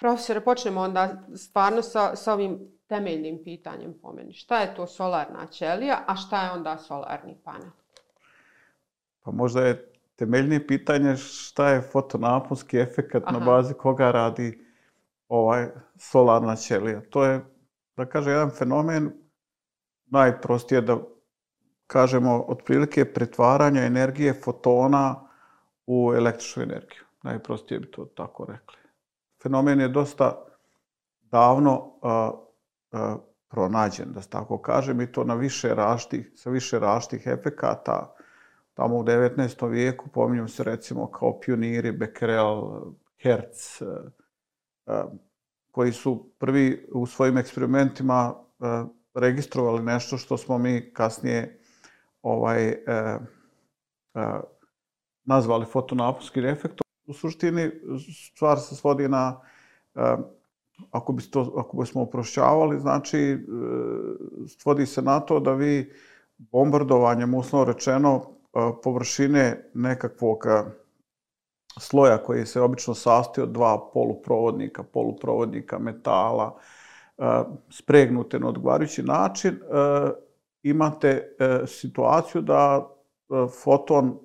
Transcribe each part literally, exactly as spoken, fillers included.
Profesore, počnemo onda stvarno sa, sa ovim temeljnim pitanjem po meni. Šta je to solarna ćelija, a šta je onda solarni panel? Pa možda je temeljnije pitanje šta je fotonaponski efekat Aha. na bazi koga radi ovaj solarna ćelija. To je, da kažem, jedan fenomen, najprostije da kažemo, otprilike pretvaranja energije fotona u električnu energiju. Najprostije bi to tako rekli. Fenomen je dosta davno a, a, pronađen, da se tako kažem, i to na više različitih, sa više različitih efekata. Tamo u devetnaestom vijeku pominju se recimo kao pioniri Becquerel, Hertz, a, a, koji su prvi u svojim eksperimentima a, registrovali nešto što smo mi kasnije ovaj, a, a, nazvali fotonaponskim efektom. U suštini stvar se svodi na, ako, bi to, ako bismo uprošćavali, znači svodi se na to da vi bombardovanjem, uslovno rečeno, površine nekakvog sloja koji se obično sastoji od dva poluprovodnika, poluprovodnika metala, spregnute na odgovarajući način, imate situaciju da foton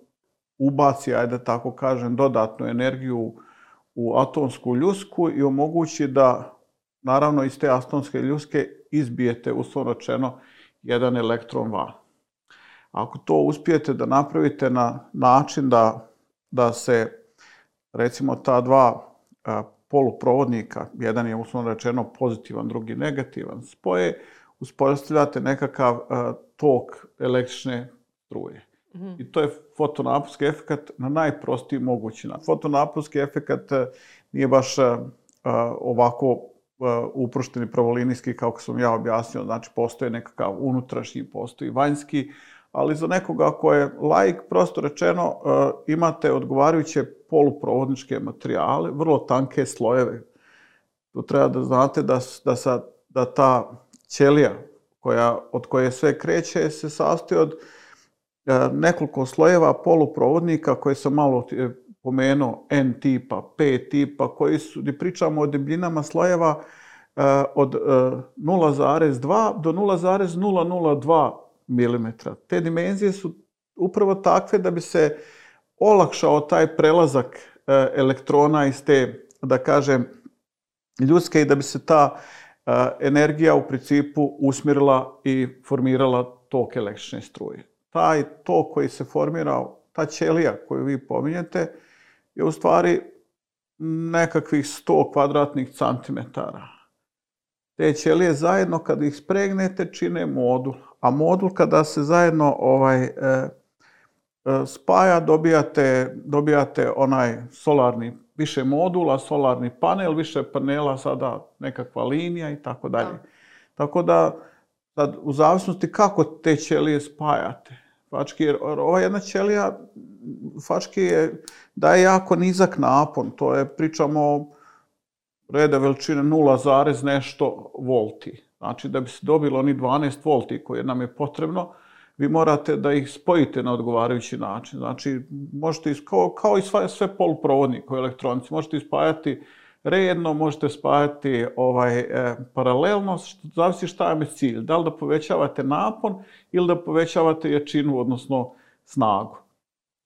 ubaci, ajde da tako kažem, dodatnu energiju u atomsku ljusku i omogući da, naravno, iz te atomske ljuske izbijete, uslovno rečeno, jedan elektron van. Ako to uspijete da napravite na način da, da se, recimo, ta dva a, poluprovodnika, jedan je, uslovno rečeno, pozitivan, drugi negativan, spoje, uspostavljate nekakav a, tok električne struje. I to je fotonaponski efekat na najprostiji mogući način. Fotonaponski efekat nije baš uh, ovako uh, uprošteni pravolinijski, kako sam ja objasnio. Znači, postoje nekakav unutrašnji, postoji vanjski, ali za nekoga ko je laik, prosto rečeno, uh, imate odgovarajuće poluprovodničke materijale, vrlo tanke slojeve. Tu treba da znate da, da, sa, da ta ćelija koja, od koje sve kreće se sastoji od nekoliko slojeva poluprovodnika koje sam malo pomenuo, N tipa, P tipa, koji su, gdje pričamo o debljinama slojeva od nula zarez dva do nula zarez nula nula dva milimetra. Te dimenzije su upravo takve da bi se olakšao taj prelazak elektrona iz te, da kažem, ljudske i da bi se ta energija u principu usmjerila i formirala tok električne struje. Taj tok koji se formira, ta ćelija koju vi pominjete, je u stvari nekakvih sto kvadratnih centimetara. Te ćelije zajedno, kada ih spregnete, čine modul. A modul, kada se zajedno ovaj, e, e, spaja, dobijate, dobijate onaj solarni, više modula, solarni panel, više panela, sada nekakva linija i tako dalje. Tako da, sad, u zavisnosti kako te ćelije spajate, fački, jer ova jedna ćelija fački je, daje jako nizak napon, to je, pričamo reda veličine nula zarez nešto volti. Znači, da bi se dobilo oni dvanaest volti koje nam je potrebno, vi morate da ih spojite na odgovarajući način. Znači, možete, kao, kao i sve, sve poluprovodnike u elektronici, možete ispajati redno, možete spajati ovaj, e, paralelno, što zavisi šta je cilj. Da li da povećavate napon ili da povećavate jačinu, odnosno snagu.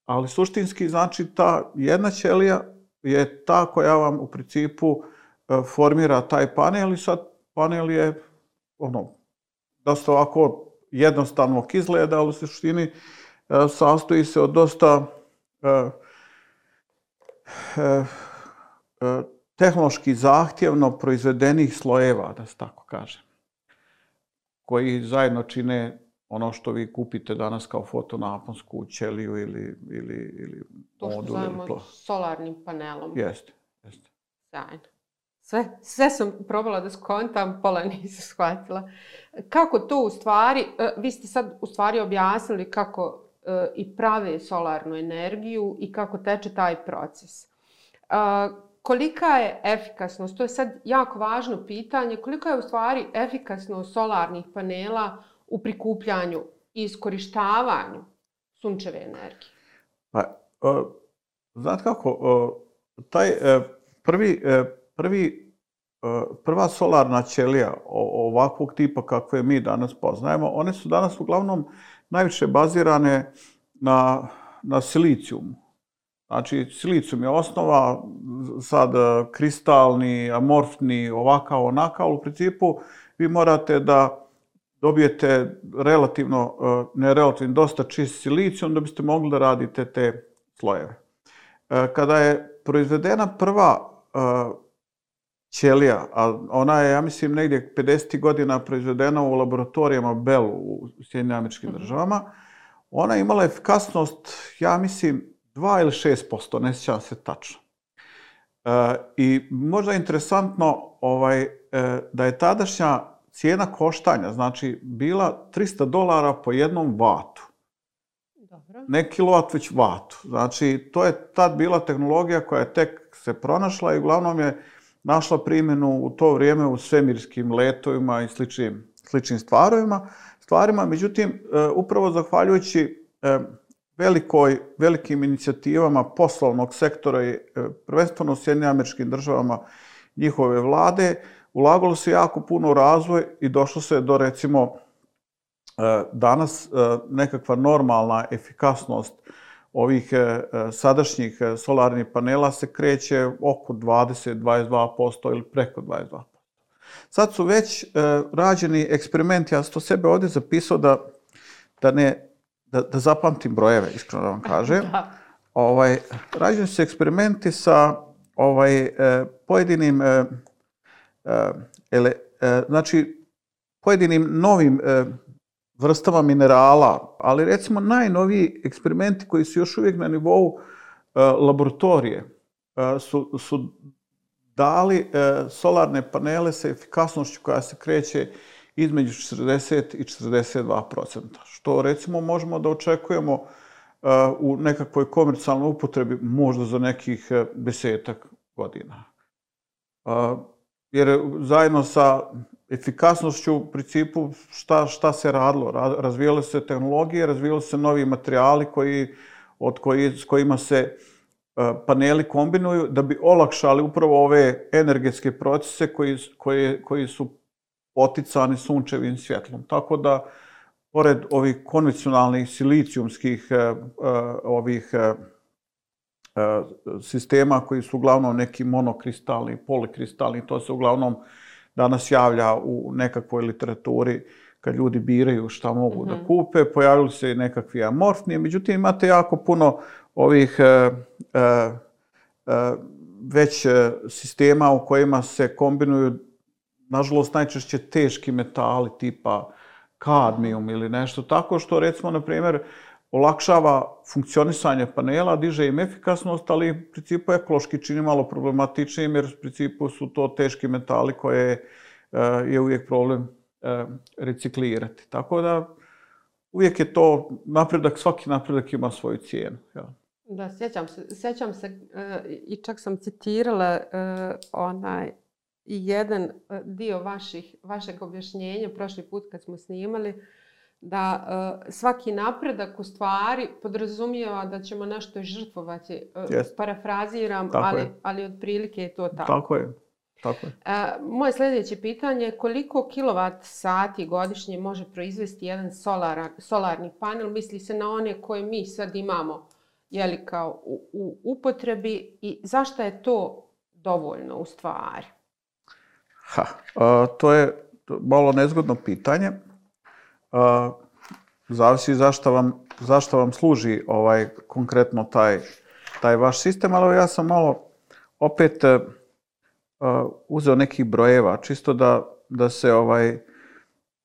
Ali suštinski, znači, ta jedna ćelija je ta koja vam u principu e, formira taj panel i sad panel je ono, dosta ovako jednostavnog izgleda, ali u suštini e, sastoji se od dosta e, e, e, tehnološki zahtjevno proizvedenih slojeva, da se tako kaže, koji zajedno čine ono što vi kupite danas kao fotonaponsku ćeliju ili, ili, ili to što modul. zovemo solarnim panelom. Jeste, jeste. Sjajno. Sve, sve sam probala da skontam, pola nisam shvatila. Kako to u stvari, vi ste sad u stvari objasnili kako i prave solarnu energiju i kako teče taj proces. Kolika je efikasnost, to je sad jako važno pitanje, kolika je u stvari efikasnost solarnih panela u prikupljanju i iskorištavanju sunčeve energije? Pa, uh, znate kako, uh, taj uh, prvi, uh, prvi prva solarna ćelija ovakvog tipa kakve mi danas poznajemo, one su danas uglavnom najviše bazirane na, na silicijumu. Znači, silicijum je osnova, sad kristalni, amorfni, ovakav, onakav. U principu, vi morate da dobijete relativno, ne relativno, dosta čist silicijum da biste mogli da radite te slojeve. Kada je proizvedena prva ćelija, a ona je, ja mislim, negdje pedesetih godina proizvedena u laboratorijama Bellu u Sjedinjenim Američkim Državama, ona je imala efikasnost, ja mislim, dva ili šest posto, ne sjećam se tačno. I možda je interesantno da je tadašnja cijena koštanja, znači, bila trista dolara po jednom vatu. Ne kilovat, već vatu. Znači, to je tad bila tehnologija koja je tek se pronašla i uglavnom je našla primjenu u to vrijeme u svemirskim letovima i sličnim, sličnim stvarima. stvarima. Međutim, upravo zahvaljujući velikoj, velikim inicijativama poslovnog sektora i prvenstveno u Sjedinjenim Američkim Državama njihove vlade, ulagalo se jako puno u razvoj i došlo se do, recimo, danas nekakva normalna efikasnost ovih sadašnjih solarnih panela se kreće oko dvadeset do dvadeset dva posto ili preko dvadeset dva posto. Sad su već rađeni eksperimenti, ja sam to sebe ovdje zapisao da, da, ne, da, da zapamtim brojeve, iskreno da vam kažem. Da. Ovaj, rađeni su eksperimenti sa ovaj, pojedinim, ele, znači, pojedinim novim vrstama minerala, ali recimo najnoviji eksperimenti koji su još uvijek na nivou uh, laboratorije uh, su, su dali uh, solarne panele sa efikasnošću koja se kreće između četrdeset i četrdeset dva posto, što recimo možemo da očekujemo uh, u nekakvoj komercijalnoj upotrebi možda za nekih uh, desetak godina. Uh, jer zajedno sa efikasnošću, u principu, šta, šta se radilo? Razvijale se tehnologije, razvijali se novi materijali koji, od koji, s kojima se uh, paneli kombinuju da bi olakšali upravo ove energetske procese koji, koji, koji su poticani sunčevim svjetlom. Tako da, pored ovih konvencionalnih silicijumskih uh, uh, ovih uh, uh, sistema koji su uglavnom neki monokristalni, polikristalni, to se uglavnom danas javlja u nekakvoj literaturi kad ljudi biraju šta mogu mm-hmm. da kupe, pojavili se i nekakvi amorfni, međutim imate jako puno ovih uh, uh, uh, već uh, sistema u kojima se kombinuju, nažalost, najčešće teški metali tipa kadmijum ili nešto tako, što recimo, na primjer, olakšava funkcionisanje panela, diže im efikasnost, ali u principu ekološki čini malo problematičnijim, jer u principu su to teški metali koje uh, je uvijek problem uh, reciklirati. Tako da uvijek je to napredak, svaki napredak ima svoju cijenu. Ja. Da, sjećam se, sjećam se uh, i čak sam citirala uh, onaj jedan dio vaših, vašeg objašnjenja prošli put kad smo snimali, da uh, svaki napredak u stvari podrazumijeva da ćemo nešto žrtvovati. Uh, yes. Parafraziram, ali, ali otprilike je to tako. Tako je. Tako je. Uh, moje sljedeće pitanje je koliko kilovat sati godišnje može proizvesti jedan solara, solarni panel? Misli se na one koje mi sad imamo jeli, kao u, u upotrebi i zašto je to dovoljno u stvari? Ha, uh, to je malo nezgodno pitanje. Uh, zavisi zašto vam, zašto vam služi ovaj konkretno taj, taj vaš sistem, ali ja sam malo opet uh, uzeo nekih brojeva, čisto da, da se ovaj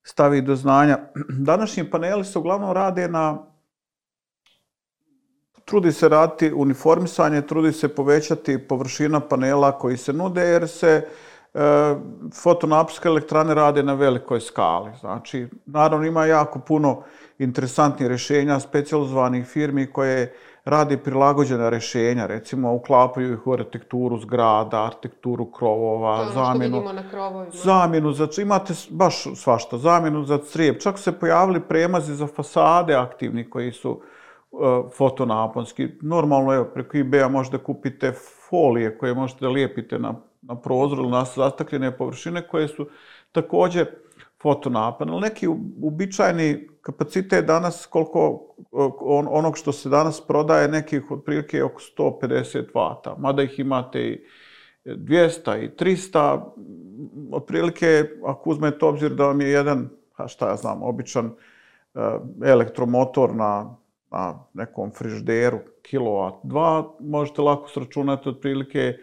stavi do znanja. Današnji paneli se uglavnom rade na, trudi se raditi uniformisanje, trudi se povećati površina panela koji se nude, jer se fotonaponske elektrane rade na velikoj skali. Znači, naravno ima jako puno interesantnih rješenja specijalizovanih firmi koje rade prilagođena rješenja, recimo uklapaju ih u arhitekturu zgrada, arhitekturu krovova, to zamjenu, na krovovima. zamjenu za, imate baš svašta, zamjenu za crijep. Čak su se pojavili premazi za fasade aktivni koji su uh, fotonaponski. Normalno, evo, preko eBaya možete kupite folije koje možete da lijepite na na prozoru ili na zastakljene površine koje su također fotonapan. Ali neki uobičajeni kapacitet danas, koliko on, onog što se danas prodaje, nekih otprilike oko sto pedeset vata. Mada ih imate i dvjesto i tristo. Otprilike, ako uzmete obzir da vam je jedan, a šta ja znam, običan elektromotor na, na nekom frižideru, kilovat, dva, možete lako sračunati otprilike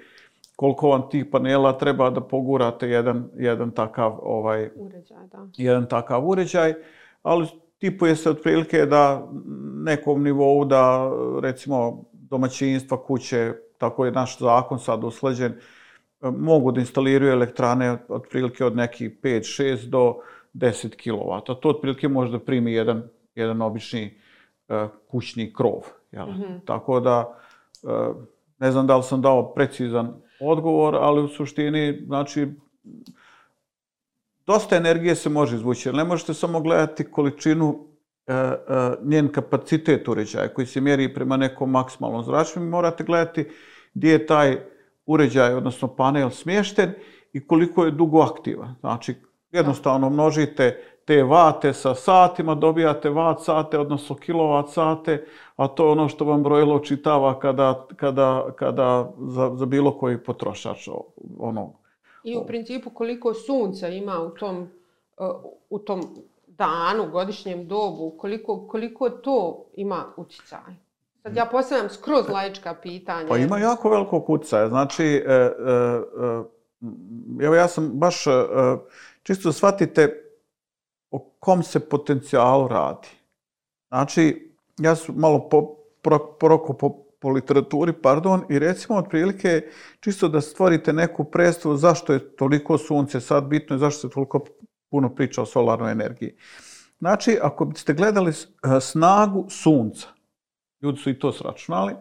koliko vam tih panela treba da pogurate jedan, jedan takav ovaj, uređaj, da. jedan takav uređaj, ali tipuje se otprilike da nekom nivou da recimo domaćinstva, kuće, tako je naš zakon sad usklađen, mogu da instaliraju elektrane otprilike od nekih pet šest do deset kilovata. To otprilike može da primi jedan, jedan obični uh, kućni krov. Jel? Mm-hmm. Tako da, uh, ne znam da li sam dao precizan odgovor, ali u suštini, znači, dosta energije se može izvući, jer ne možete samo gledati količinu, e, e, njen kapacitet uređaja koji se mjeri prema nekom maksimalnom zračenju. Morate gledati gdje je taj uređaj, odnosno panel, smješten i koliko je dugo aktivan. Znači, jednostavno množite te vate sa satima, dobijate vat sate, odnosno kilovat sate, a to je ono što vam brojilo čitava kada, kada, kada za, za bilo koji potrošač. Ono, I u principu koliko sunca ima u tom, u tom danu, godišnjem dobu, koliko, koliko to ima utjecaj? Sad ja postavljam skroz laička pitanja. Pa ima jako velikog utjecaja. Znači, e, e, e, evo ja sam baš, e, čisto shvatite o kom se potencijalu radi. Znači, ja sam malo po, pro, poroko po, po literaturi, pardon, i recimo otprilike čisto da stvorite neku predstavu zašto je toliko sunce sad bitno i zašto se toliko puno priča o solarnoj energiji. Znači, ako biste gledali snagu sunca, ljudi su i to sračunali,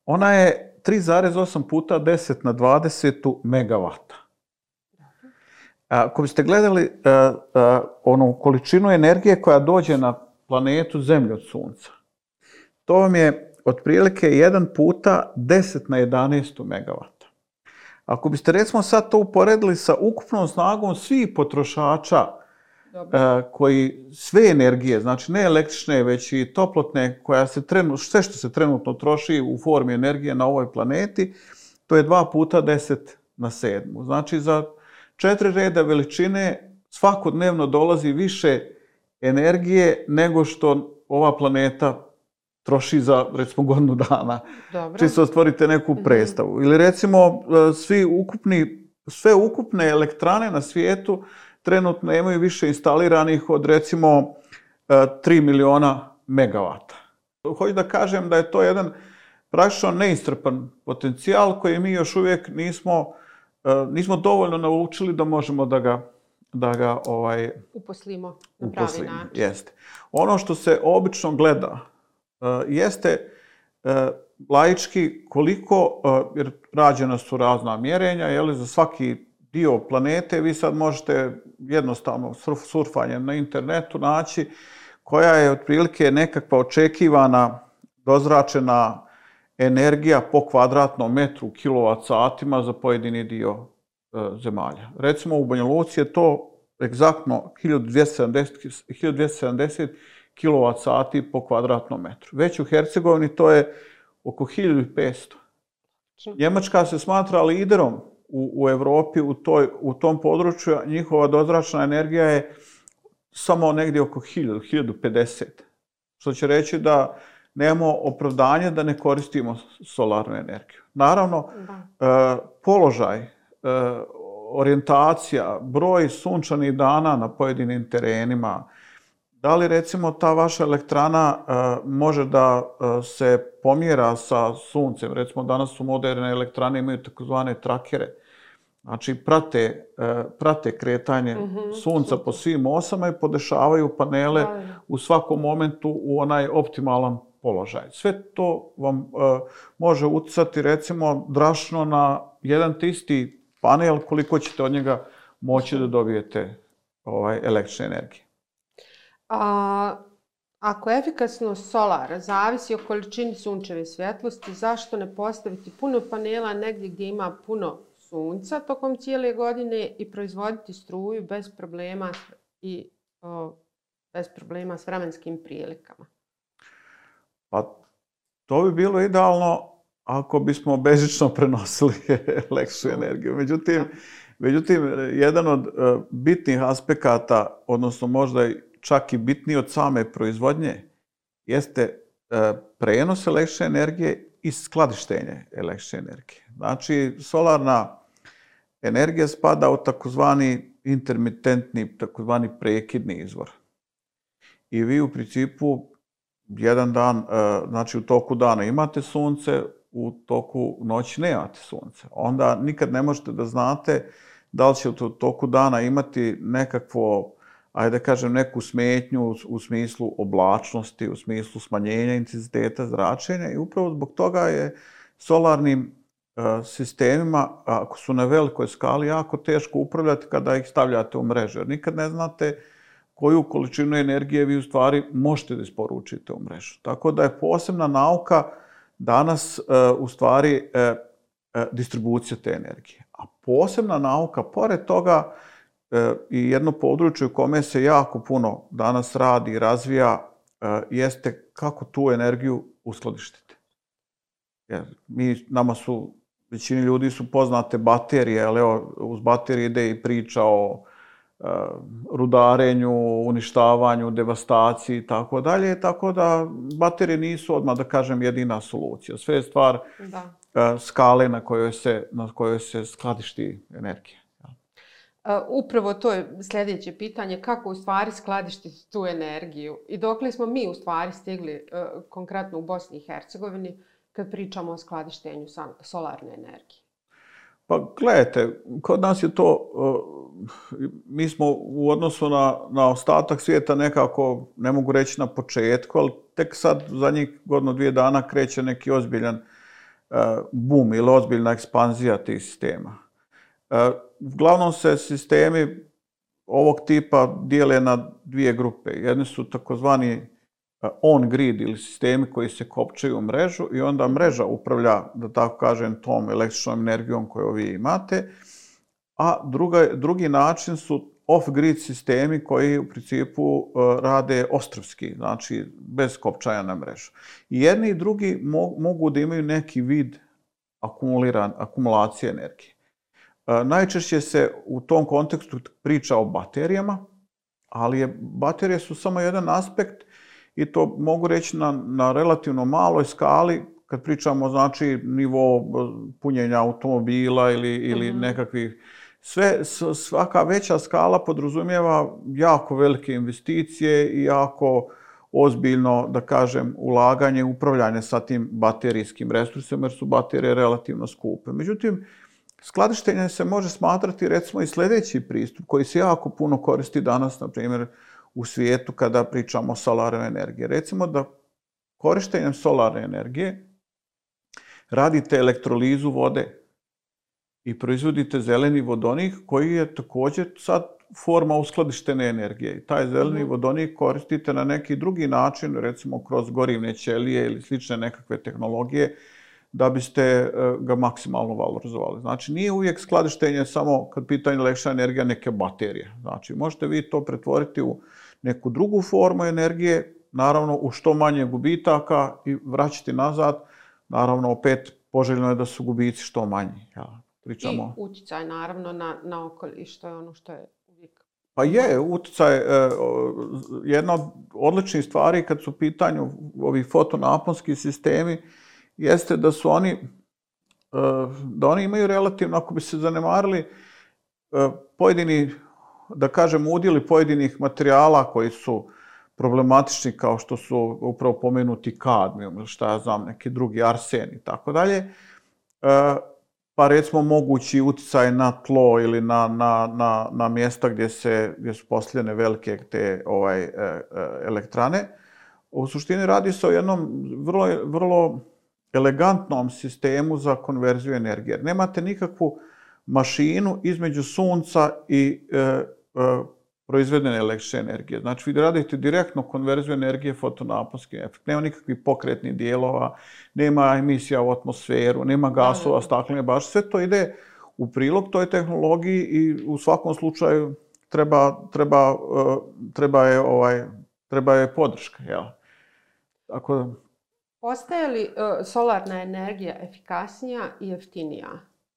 ona je tri zarez osam puta deset na dvadeset megavata. Ako biste gledali uh, uh, onu količinu energije koja dođe na planetu Zemlju od sunca, to vam je otprilike jedan puta deset na jedanaest megavata. Ako biste recimo sad to uporedili sa ukupnom snagom svih potrošača uh, koji sve energije, znači ne električne, već i toplotne, koja se trenu, sve što se trenutno troši u formi energije na ovoj planeti, to je dva puta deset na sedmu. Znači za četiri reda veličine svakodnevno dolazi više energije nego što ova planeta troši za, recimo, godinu dana. Dobro. Čisto stvorite neku predstavu. Mm-hmm. Ili recimo, svi ukupni, sve ukupne elektrane na svijetu trenutno imaju više instaliranih od, recimo, tri miliona megavata. Hoću da kažem da je to jedan praktično neiscrpan potencijal koji mi još uvijek nismo nismo dovoljno naučili da možemo da ga, da ga ovaj, uposlimo na pravi uposlimo. način. Jeste. Ono što se obično gleda uh, jeste uh, laički koliko, uh, jer rađena su razna mjerenja, jeli, za svaki dio planete vi sad možete jednostavno surf, surfanjem na internetu naći koja je otprilike nekakva očekivana dozračena energija po kvadratnom metru kilovat satima za pojedini dio e, zemalja. Recimo u Banja Luci je to egzaktno hiljadu dvjesto sedamdeset kilovat sati po kvadratnom metru. Već u Hercegovini to je oko hiljadu petsto. Njemačka se smatra liderom u, u Evropi u, toj, u tom području. Njihova dozračna energija je samo negdje oko hiljadu, hiljadu pedeset. Što će reći da nemamo opravdanje da ne koristimo solarnu energiju. Naravno, da. položaj, orijentacija, broj sunčanih dana na pojedinim terenima, da li recimo ta vaša elektrana može da se pomjera sa suncem. Recimo danas su moderne elektrane, imaju takozvane trakere. Znači prate, prate kretanje mm-hmm. sunca po svim osama i podešavaju panele da. u svakom momentu u onaj optimalan položaj. Sve to vam uh, može utjecati recimo drastično na jedan te isti panel koliko ćete od njega moći da dobijete ovaj, električne energije. A, ako efikasnost solara zavisi o količini sunčeve svjetlosti, zašto ne postaviti puno panela negdje gdje ima puno sunca tokom cijele godine i proizvoditi struju bez problema i o, bez problema s vremenskim prilikama? Pa to bi bilo idealno ako bismo bežično prenosili električnu energiju. Međutim, međutim, jedan od uh, bitnih aspekata, odnosno možda čak i bitniji od same proizvodnje, jeste uh, prenos električne energije i skladištenje električne energije. Znači, solarna energija spada u takozvani intermitentni, takozvani prekidni izvor. I vi u principu jedan dan, znači u toku dana imate sunce, u toku noći nemate sunce. Onda nikad ne možete da znate da li će u toku dana imati nekakvo, ajde da kažem, neku smetnju u smislu oblačnosti, u smislu smanjenja intenziteta zračenja i upravo zbog toga je solarnim sistemima, ako su na velikoj skali, jako teško upravljati kada ih stavljate u mrežu. Jer nikad ne znate koju količinu energije vi u stvari možete da isporučite u mrežu. Tako da je posebna nauka danas u stvari distribucija te energije. A posebna nauka, pored toga, i jedno područje u kome se jako puno danas radi i razvija, jeste kako tu energiju uskladištiti. Jer mi, nama su, većini ljudi su poznate baterije, ali evo, uz baterije ide i priča o rudarenju, uništavanju, devastaciji i tako dalje, tako da baterije nisu odmah, da kažem, jedina solucija. Sve je stvar da. skale na kojoj se, na kojoj se skladišti energija. Upravo to je sljedeće pitanje, kako u stvari skladištiti tu energiju i dokle smo mi u stvari stigli konkretno u Bosni i Hercegovini kad pričamo o skladištenju solarne energije. Pa gledajte, kod nas je to, mi smo u odnosu na, na ostatak svijeta nekako, ne mogu reći na početku, ali tek sad zadnjih godinu, dvije dana kreće neki ozbiljan boom ili ozbiljna ekspanzija tih sistema. Uglavnom se sistemi ovog tipa dijele na dvije grupe. Jedni su takozvani on-grid ili sistemi koji se kopčaju u mrežu i onda mreža upravlja, da tako kažem, tom električnom energijom koju vi imate, a druga, drugi način su off-grid sistemi koji u principu rade ostrvski, znači bez kopčanja na mrežu. I jedni i drugi mogu da imaju neki vid akumuliran, akumulacije energije. Najčešće se u tom kontekstu priča o baterijama, ali je, baterije su samo jedan aspekt i to mogu reći na, na relativno maloj skali, kad pričamo znači nivo punjenja automobila ili, ili mm-hmm. nekakvih. Sve, svaka veća skala podrazumijeva jako velike investicije i jako ozbiljno, da kažem, ulaganje i upravljanje sa tim baterijskim resursima, jer su baterije relativno skupe. Međutim, skladištenje se može smatrati recimo i sljedeći pristup koji se jako puno koristi danas, na primjer, u svijetu kada pričamo o solarnoj energiji. Recimo da korištenjem solarne energije radite elektrolizu vode i proizvodite zeleni vodonik koji je također sad forma uskladištene energije. I taj zeleni mm. vodonik koristite na neki drugi način, recimo kroz gorivne ćelije ili slične nekakve tehnologije, da biste ga maksimalno valorizovali. Znači, nije uvijek skladištenje samo kad pitanje električna energija neke baterije. Znači, možete vi to pretvoriti u neku drugu formu energije, naravno u što manje gubitaka i vraćati nazad. Naravno, opet poželjno je da su gubici što manji. Ja, pričamo... I utjecaj, naravno, na, na okoliš, što je ono što je uvijek... Pa je, utjecaj, eh, jedna od odličnih stvari kad su u pitanju ovi fotonaponski sistemi, jeste da su oni, da oni imaju relativno, ako bi se zanemarili, pojedini, da kažem, udjeli pojedinih materijala koji su problematični, kao što su upravo pomenuti kadmijum ili šta ja znam, neki drugi arsen i tako dalje, pa recimo mogući utjecaj na tlo ili na, na, na, na mjesta gdje, se, gdje su postavljene velike te ovaj, elektrane. U suštini radi se o jednom vrlo, vrlo elegantnom sistemu za konverziju energije. Nemate nikakvu mašinu između sunca i e, e, proizvedene električne energije. Znači, vi radite direktno konverziju energije fotonaponski efekt. Nema nikakvih pokretnih dijelova, nema emisija u atmosferu, nema gasova, staklene bašte. Sve to ide u prilog toj tehnologiji i u svakom slučaju treba, treba, treba, je, ovaj, treba je podrška. Jel? Tako... Postaje li uh, solarna energija efikasnija i jeftinija?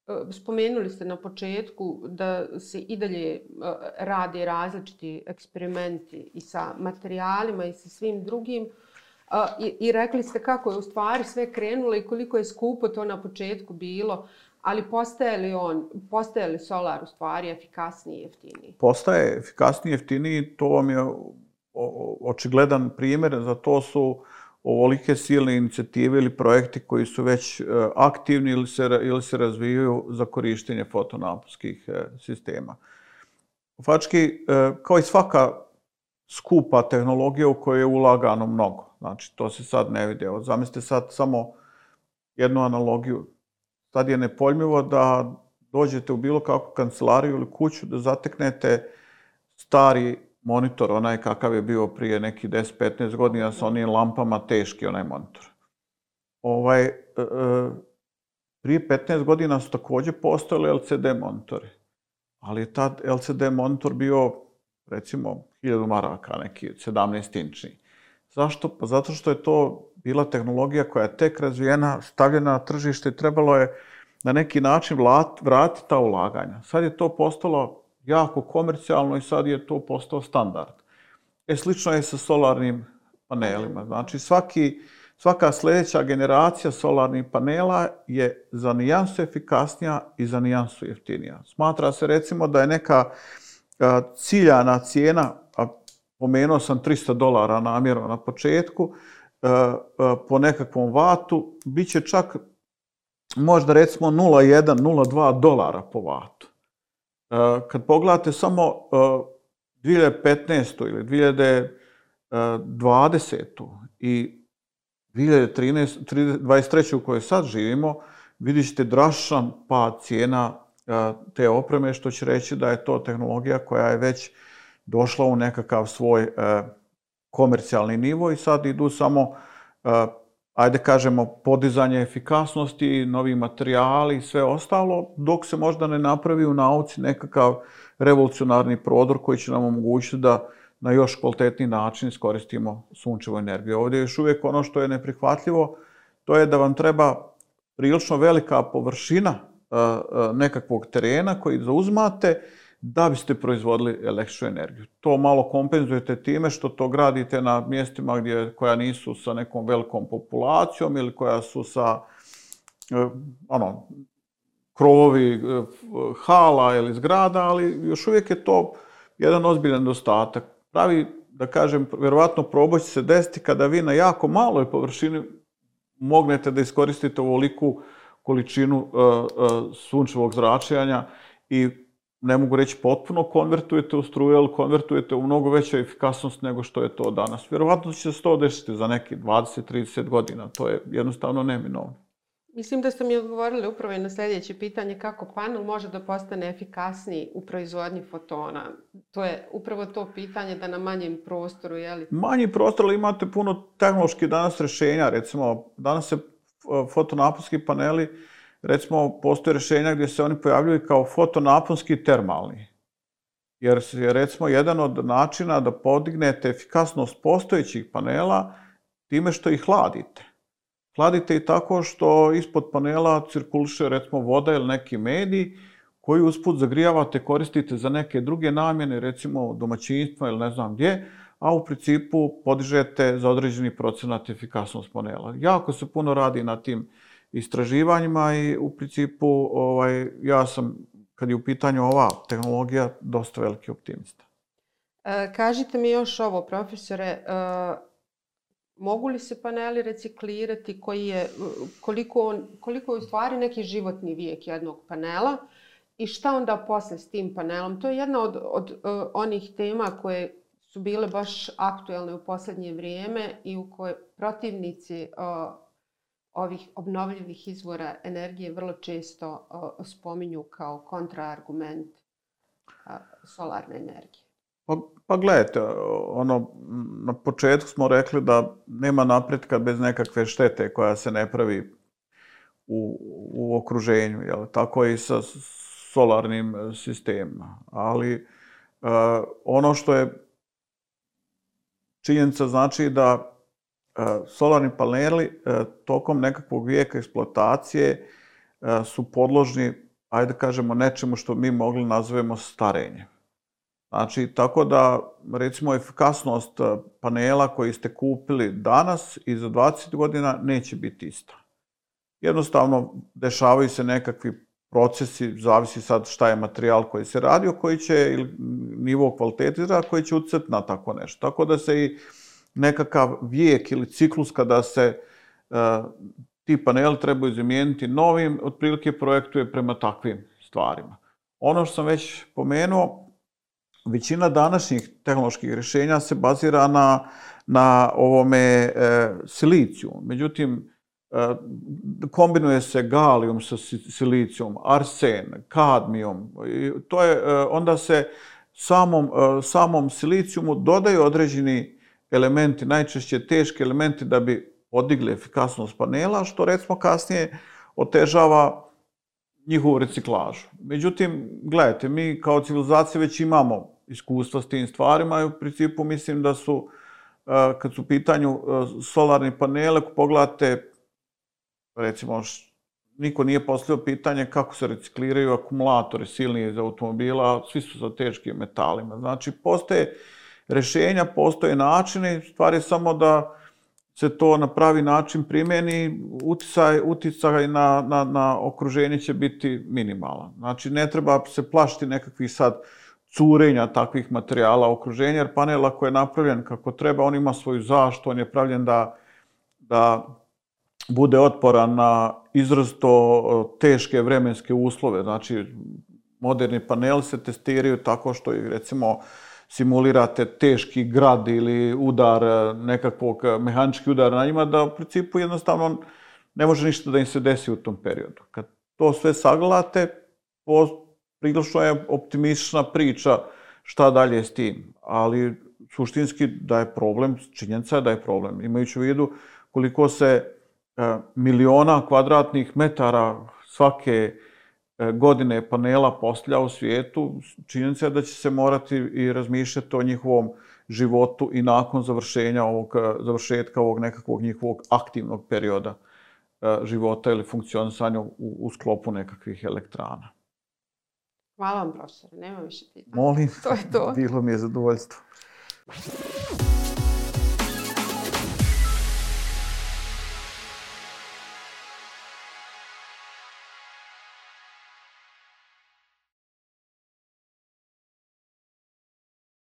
Uh, spomenuli ste na početku da se i dalje uh, rade različiti eksperimenti i sa materijalima i sa svim drugim. Uh, i, I rekli ste kako je u stvari sve krenulo i koliko je skupo to na početku bilo. Ali postaje li on, postaje li solar u stvari efikasniji i jeftiniji? Postaje efikasniji i jeftiniji, to vam je očigledan primjer, za to su ovolike silne inicijative ili projekti koji su već aktivni ili se, ili se razvijaju za korištenje fotonaponskih sistema. Faktički, kao i svaka skupa tehnologija u kojoj je ulagano mnogo, znači to se sad ne vidi. Evo, zamislite sad samo jednu analogiju. Sad je nepojmljivo da dođete u bilo kakvu kancelariju ili kuću da zateknete stari monitor, onaj kakav je bio prije nekih deset petnaest godina sa onim lampama, teški onaj monitor. Ovaj, e, prije petnaest godina su također postojali L C D monitori, ali je tad L C D monitor bio, recimo, hiljadu maraka, neki sedamnaest inčni. Zašto? Pa zato što je to bila tehnologija koja je tek razvijena, stavljena na tržište i trebalo je na neki način vratiti ta ulaganja. Sad je to postalo jako komercijalno i sad je to postao standard. E, slično je sa solarnim panelima. Znači, svaki, svaka sljedeća generacija solarnih panela je za nijansu efikasnija i za nijansu jeftinija. Smatra se, recimo, da je neka a, ciljana cijena, a pomenuo sam tristo dolara namjerno na početku, po nekakvom vatu, bit će čak možda recimo nula zarez jedan, nula zarez dva dolara po vatu. Kad pogledate samo dvije hiljade petnaestu ili dvije hiljade dvadesetu i dvije hiljade dvadeset treće u kojoj sad živimo, vidjet ćete drastičan pad cijena te opreme, što će reći da je to tehnologija koja je već došla u nekakav svoj komercijalni nivo i sad idu samo, ajde kažemo, podizanje efikasnosti, novi materijali i sve ostalo, dok se možda ne napravi u nauci nekakav revolucionarni prodor koji će nam omogućiti da na još kvalitetniji način iskoristimo sunčevu energiju. Ovdje je još uvijek ono što je neprihvatljivo, to je da vam treba prilično velika površina nekakvog terena koji zauzmate da biste proizvodili električnu energiju. To malo kompenzujete time što to gradite na mjestima gdje, koja nisu sa nekom velikom populacijom ili koja su sa ono, krovovi hala ili zgrada, ali još uvijek je to jedan ozbiljan nedostatak. Pravi, da kažem, vjerovatno proboj će se desiti kada vi na jako maloj površini mognete da iskoristite ovoliku količinu uh, uh, sunčevog zračenja i ne mogu reći potpuno konvertujete u struju, ali konvertujete u mnogo veću efikasnost nego što je to danas. Vjerovatno će se to desiti za neki dvadeset do trideset godina. To je jednostavno neminovno. Mislim da ste mi odgovorili upravo i na sljedeće pitanje kako panel može da postane efikasniji u proizvodnji fotona. To je upravo to pitanje da na manjem prostoru, je li? Manji prostor, ali imate puno tehnoloških danas rješenja. Recimo, danas se fotonaponski paneli, recimo, postoje rješenja gdje se oni pojavljuju kao fotonaponski termalni. Jer je, recimo, jedan od načina da podignete efikasnost postojećih panela time što ih hladite. Hladite i tako što ispod panela cirkuliše, recimo, voda ili neki medij koji usput zagrijavate, koristite za neke druge namjene, recimo domaćinstva ili ne znam gdje, a u principu podižete za određeni procenat efikasnost panela. Jako se puno radi na tim istraživanjima i u principu ovaj, ja sam, kad je u pitanju ova tehnologija, dosta veliki optimista. E, kažite mi još ovo, profesore, e, mogu li se paneli reciklirati, koji je, koliko, on, koliko je u stvari neki životni vijek jednog panela i šta onda posle s tim panelom? To je jedna od, od uh, onih tema koje su bile baš aktuelne u posljednje vrijeme i u koje protivnici uh, ovih obnovljivih izvora energije vrlo često uh, spominju kao kontraargument uh, solarne energije. Pa, pa gledajte, ono, na početku smo rekli da nema napretka bez nekakve štete koja se ne pravi u, u okruženju. Jel? Tako i sa solarnim sistemima. Ali ono što je činjenica znači da solarni paneli tokom nekakvog vijeka eksploatacije su podložni, ajde da kažemo, nečemu što mi mogli nazovemo starenje. Znači, tako da, recimo, efikasnost panela koji ste kupili danas i za dvadeset godina neće biti ista. Jednostavno, dešavaju se nekakvi procesi, zavisi sad šta je materijal koji se radio, koji će, ili nivo kvaliteta, koji će utjecati na tako nešto. Tako da se i nekakav vijek ili ciklus kada se ti paneli trebaju zamijeniti novim, otprilike projektuje prema takvim stvarima. Ono što sam već pomenuo, većina današnjih tehnoloških rješenja se bazira na, na ovome e, siliciju. Međutim, e, kombinuje se galijum sa silicijom, arsen, kadmijom. I to je, e, onda se samom, e, samom silicijumu dodaju određeni elementi, najčešće teški elementi da bi podigli efikasnost panela, što recimo kasnije otežava njihovu reciklažu. Međutim, gledajte, mi kao civilizacija već imamo iskustva s tim stvarima i u principu mislim da su, kad su u pitanju solarni panele, ako pogledate, recimo, niko nije postavio pitanje kako se recikliraju akumulatori silni iz automobila, svi su sa teškim metalima. Znači, postoje rješenja, postoje načini, stvar je samo da se to na pravi način primjeni, uticaj, uticaj na, na, na okruženje će biti minimalan. Znači, ne treba se plašiti nekakvih sad curenja takvih materijala u okruženju, jer panel ako je napravljen kako treba, on ima svoju zaštitu, on je pravljen da, da bude otporan na izrazito teške vremenske uslove. Znači, moderni paneli se testiraju tako što ih, recimo, simulirate teški grad ili udar, nekakvog mehanički udar na njima, da u principu jednostavno ne može ništa da im se desi u tom periodu. Kad to sve sagledate, prilično je optimistična priča šta dalje s tim. Ali suštinski da je problem, činjenica je da je problem. Imajući u vidu koliko se miliona kvadratnih metara svake godine panela postavlja u svijetu, činjenica je da će se morati i razmišljati o njihovom životu i nakon završenja ovog, završetka ovog nekakvog njihovog aktivnog perioda života ili funkcionisanja u, u sklopu nekakvih elektrana. Hvala vam, profesore. Nema više pitanja. Molim, to je to. Bilo mi je zadovoljstvo.